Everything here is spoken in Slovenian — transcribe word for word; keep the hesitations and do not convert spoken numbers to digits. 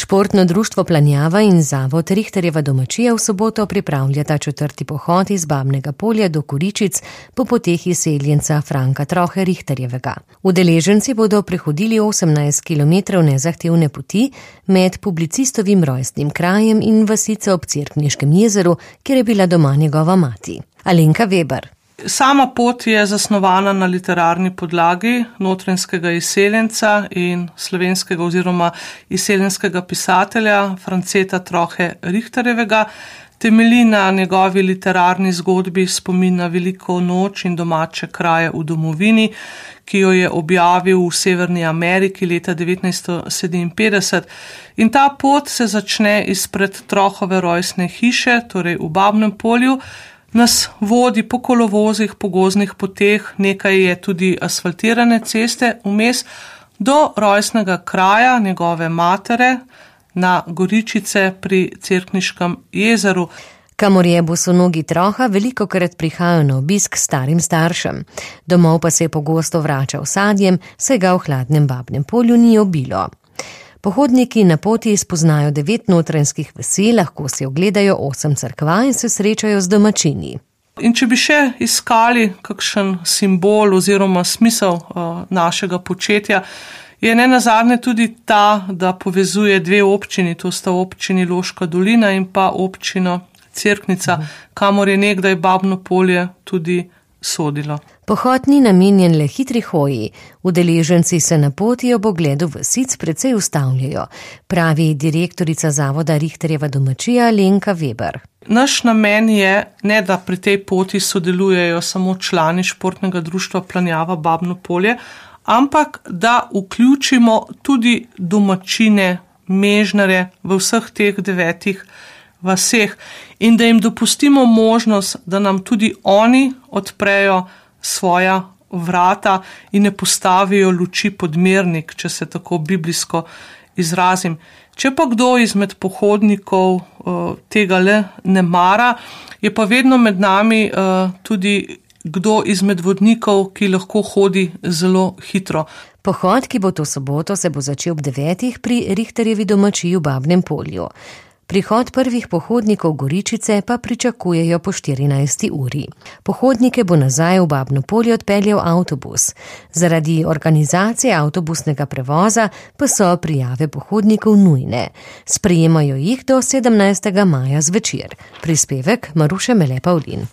Športno društvo Planjava in zavod Rihterjeva domačija v soboto pripravljata četrti pohod iz Babnega Polja do Goričic po poteh izseljenca Franka Trohe Rihterjevega. Udeleženci bodo prehodili osemnajst kilometrov nezahtevne poti med publicistovim rojstnim krajem in vasico ob Cerkniškem jezeru, kjer je bila doma njegova mati. Alenka Weber. Sama pot je zasnovana na literarni podlagi notranjskega izseljenca in slovenskega oziroma izseljenskega pisatelja Franceta Trohe Rihterjevega. Temelji na njegovi literarni zgodbi Spomin na veliko noč in domače kraje v domovini, ki jo je objavil v Severni Ameriki leta devetnajststo sedeminpetdeset. In ta pot se začne izpred Trohove rojstne hiše, torej v Babnem Polju, nas vodi po kolovozih, po gozdnih poteh, nekaj je tudi asfaltirane ceste, vmes do rojstnega kraja njegove matere na Goričice pri Cerkniškem jezeru. Kamor je bosonogi Troha velikokrat prihajajo na obisk starim staršem. Domov pa se je pogosto vračal sadjem, saj ga v hladnem Babnem Polju ni obilo. Pohodniki na poti spoznajo devet notranjskih vasi, lahko si ogledajo osem cerkva in se srečajo z domačini. In če bi še iskali kakšen simbol oziroma smisel uh, našega početja, je nenazadnje tudi ta, da povezuje dve občini, to sta občini Loška dolina in pa občino Cerknica, kamor je nekdaj Babno Polje tudi sodilo. Pohod ni namenjen le hitri hoji, udeleženci se na poti ob ogledu vasic precej ustavljajo, pravi direktorica zavoda Rihterjeva domačija Alenka Weber. Naš namen je, ne da pri tej poti sodelujejo samo člani športnega društva Planjava Babno Polje, ampak da vključimo tudi domačine, mežnare v vseh teh devetih vaseh in da jim dopustimo možnost, da nam tudi oni odprejo svoja vrata in ne postavijo luči pod mernik, če se tako biblijsko izrazim. Če pa kdo izmed pohodnikov uh, tega le ne mara, je pa vedno med nami uh, tudi kdo izmed vodnikov, ki lahko hodi zelo hitro. Pohod, ki bo to soboto, se bo začel ob devetih pri Rihterjevi domačiji v Babnem Polju. Prihod prvih pohodnikov Goričice pa pričakujejo po štirinajsti uri. Pohodnike bo nazaj v Babno Polje odpeljal avtobus. Zaradi organizacije avtobusnega prevoza pa so prijave pohodnikov nujne. Sprejemajo jih do sedemnajstega maja zvečer. Prispevek Maruše Mele Pavlin.